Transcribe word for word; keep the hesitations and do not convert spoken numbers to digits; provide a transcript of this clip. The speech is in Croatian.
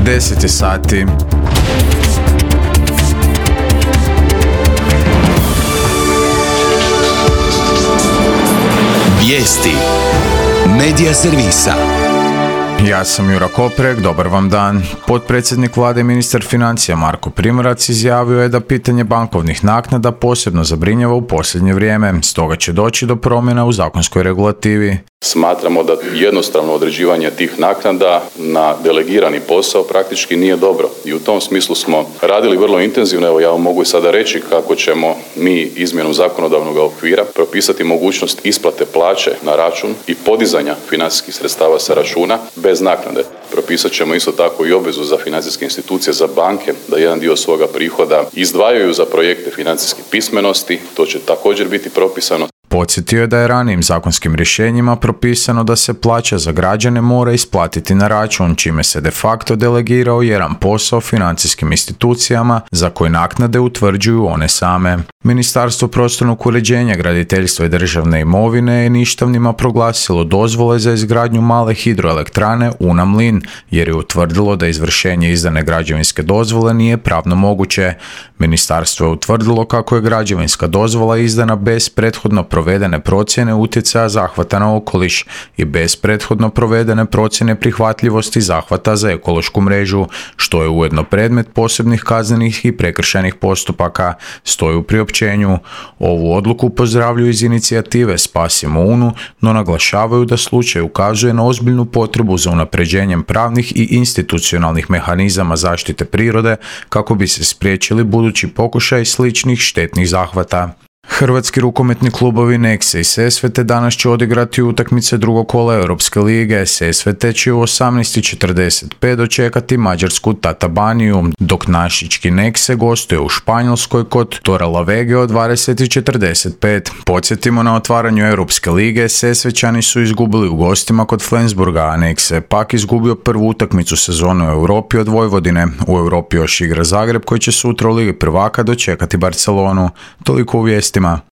deset je sati. Vijesti Medija servisa. Ja sam Jura Koprek, dobar vam dan. Potpredsjednik vlade i ministar financija Marko Primorac izjavio je da pitanje bankovnih naknada posebno zabrinjava u posljednje vrijeme, stoga će doći do promjena u zakonskoj regulativi. Smatramo da jednostavno određivanje tih naknada na delegirani posao praktički nije dobro i u tom smislu smo radili vrlo intenzivno. Evo ja vam mogu i sada reći kako ćemo mi izmjenom zakonodavnog okvira propisati mogućnost isplate plaće na račun i podizanja financijskih sredstava sa računa bez naknade. Propisat ćemo isto tako i obvezu za financijske institucije, za banke da jedan dio svoga prihoda izdvajaju za projekte financijske pismenosti. To će također biti propisano. Podsjetio je da je ranijim zakonskim rješenjima propisano da se plaća za građane mora isplatiti na račun, čime se de facto delegirao jedan posao financijskim institucijama za koje naknade utvrđuju one same. Ministarstvo prostornog uređenja, graditeljstva i državne imovine je ništavnima proglasilo dozvole za izgradnju male hidroelektrane Una-Mlin, jer je utvrdilo da izvršenje izdane građevinske dozvole nije pravno moguće. Ministarstvo je utvrdilo kako je građevinska dozvola izdana bez prethodno provedene procjene utjecaja zahvata na okoliš i bez prethodno provedene procjene prihvatljivosti zahvata za ekološku mrežu, što je ujedno predmet posebnih kaznenih i prekršajnih postupaka, stoji u priopćenju. Ovu odluku pozdravljaju iz inicijative Spasimo Unu, no naglašavaju da slučaj ukazuje na ozbiljnu potrebu za unapređenjem pravnih i institucionalnih mehanizama zaštite prirode kako bi se spriječili budući pokušaj sličnih štetnih zahvata. Hrvatski rukometni klubovi Nexe i Sesvete danas će odigrati utakmice drugog kola Europske lige. Sesvete će u osamnaest i četrdeset pet dočekati mađarsku Tatabaniju, dok našički Nexe gostuje u Španjolskoj kod Torrelavege od dvadeset i četrdeset pet. Podsjetimo, na otvaranju Europske lige Sesvećani su izgubili u gostima kod Flensburga, a Nexe pak izgubio prvu utakmicu sezone u Europi od Vojvodine. U Europi još igra Zagreb koji će sutra u Ligi prvaka dočekati Barcelonu. Toliko u vijestima.